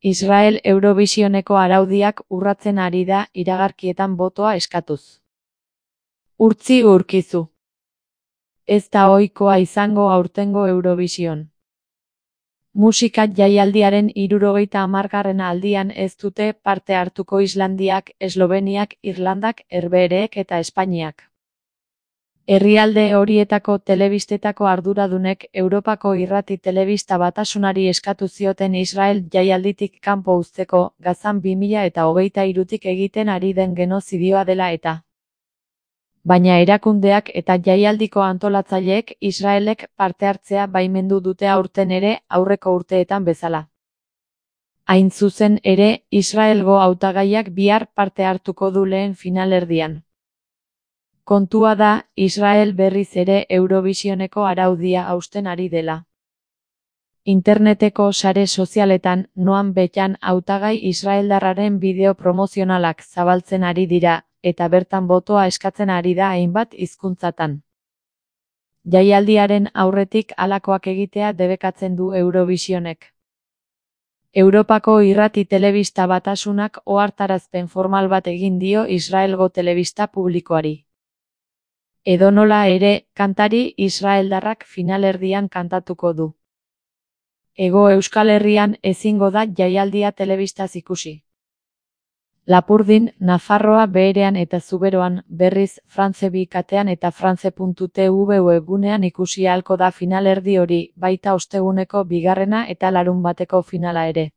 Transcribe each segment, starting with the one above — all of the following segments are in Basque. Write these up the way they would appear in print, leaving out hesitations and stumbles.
Israel Eurovisioneko araudiak urratzen ari da iragarkietan botoa eskatuz. Urtzi Urkizu. Ez da ohikoa izango aurtengo Eurovision. Musika jaialdiaren 70. aldian ez dute parte hartuko Islandiak, Esloveniak, Irlandak, Herbehereek eta Espainiak. Herrialde horietako telebistetako arduradunek Europako Irrati Telebista Batasunari eskatu zioten Israel jaialditik kanpo uzteko, Gazan 2023tik egiten ari den genozidioa dela eta. Baina erakundeak eta jaialdiko antolatzaileek Israelek parte hartzea baimendu dute aurten ere aurreko urteetan bezala. Hain zuzen ere, Israelgo hautagaiak bihar parte hartuko du lehen finalerdian. Kontua da, Israel berriz ere Eurovisioneko araudia hausten ari dela. Interneteko sare sozialetan, Noam Betan hautagai israeldarraren bideo promozionalak zabaltzen ari dira, eta bertan botoa eskatzen ari da hainbat hizkuntzatan. Jaialdiaren aurretik halakoak egitea debekatzen du Eurovisionek. Europako Irrati Telebista Batasunak ohartarazpen formal bat egin dio Israelgo telebista publikoari. Edonola ere, kantari israeldarrak finalerdian kantatuko du. Hego Euskal Herrian ezingo da jaialdia telebistaz ikusi. Lapurdin, Nafarroa Beherean eta Zuberoan, berriz, France 2 katean eta france.tv webgunean ikusi ahalko da finalerdi hori, baita osteguneko bigarrena eta larunbateko finala ere.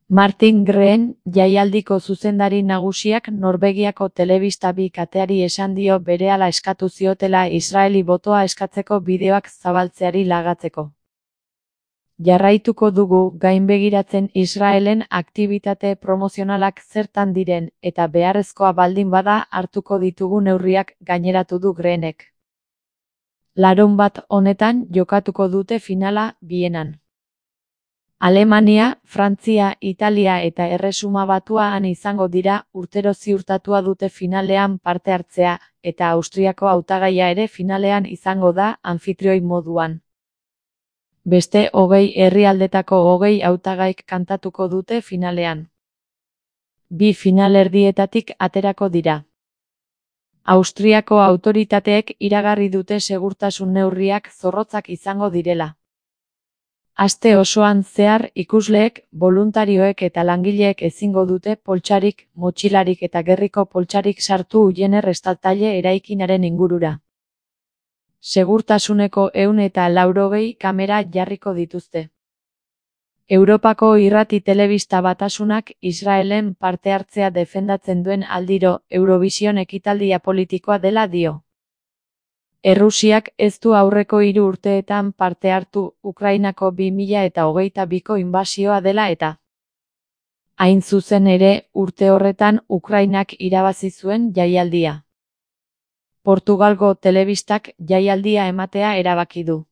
Martin Green, jaialdiko zuzendari nagusiak Norvegiako telebista 2 kateari esan dio berehala eskatu ziotela Israeli botoa eskatzeko bideoak zabaltzeari lagatzeko. Jarraituko dugu gainbegiratzen Israelen aktibitate promozionalak zertan diren eta beharrezkoa baldin bada hartuko ditugu neurriak gaineratu du Greenek. Larunbat honetan jokatuko dute finala Vienan. Alemania, Frantzia, Italia eta Erresuma Batuan izango dira urtero ziurtatua dute finalean parte hartzea, eta Austriako hautagaia ere finalean izango da anfitrioi moduan. Beste 20 herrialdetako 20 hautagaik kantatuko dute finalean. 2 finalerdietatik aterako dira. Austriako autoritateek iragarri dute segurtasun neurriak zorrotzak izango direla. Aste osoan zehar ikusleek, boluntarioek eta langileek ezingo dute poltsarik, motxilarik eta gerriko poltsarik sartu Ujener estatale eraikinaren ingurura. Segurtasuneko 180 kamera jarriko dituzte. Europako Irrati Telebista Batasunak Israelen parte hartzea defendatzen duen aldiro Eurovision ekitaldia politikoa dela dio. Errusiak ez du aurreko 3 urteetan parte hartu Ukrainako 2022ko inbasioa dela eta. Hain zuzen ere, urte horretan Ukrainak irabazi zuen jaialdia. Portugalgo telebistak jaialdia ematea erabaki du.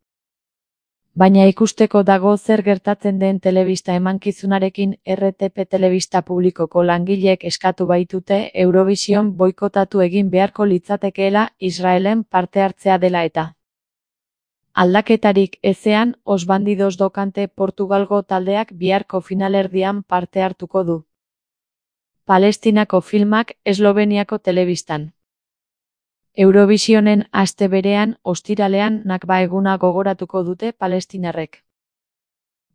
Baina ikusteko dago zer gertatzen den telebista emankizunarekin RTP telebista publikoko langileek eskatu baitute Eurovision boikotatu egin beharko litzatekeela Israelen parte hartzea dela eta. Aldaketarik ezean, Os Bandidos do Cante Portugalgo taldeak biharko finalerdian parte hartuko du. Palestinako filmak Esloveniako telebistan. Eurovisionen aste berean, ostiralean Nakba eguna gogoratuko dute palestinarrek.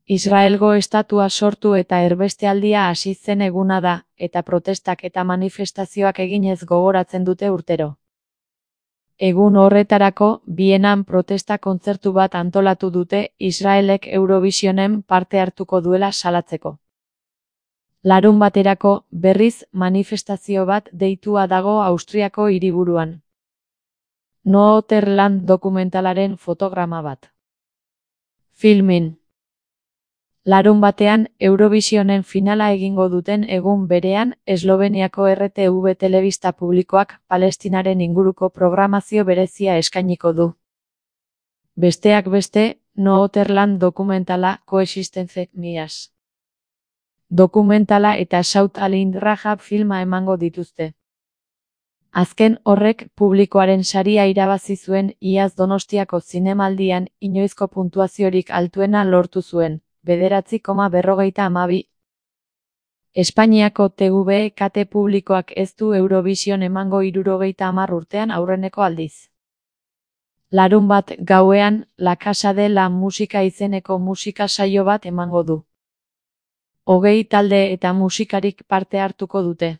Israelgo estatua sortu eta erbestealdia hasi zen eguna da, eta protestak eta manifestazioak eginez gogoratzen dute urtero. Egun horretarako, Vienan protesta kontzertu bat antolatu dute Israelek Eurovisionen parte hartuko duela salatzeko. Larunbaterako, berriz, manifestazio bat deitua dago Austriako hiriburuan. Noorderland dokumentalaren fotograma bat. Filmin. Larunbatean, Eurovisionen finala egingo duten egun berean, Esloveniako RTV telebista publikoak Palestinaren inguruko programazio berezia eskainiko du. Besteak beste, Noorderland dokumentala Coexistence Mias. Dokumentala eta Saut al-Indrajab filma emango dituzte. Azken horrek publikoaren saria irabazi zuen iaz Donostiako zinemaldian inoizko puntuaziorik altuena lortu zuen, 9,52. Espainiako TV kate publikoak ez du Eurovision emango 70 urtean aurreneko aldiz. Larunbat gauean, La Casa de la Música izeneko musika saio bat emango du. 20 talde eta musikarik parte hartuko dute.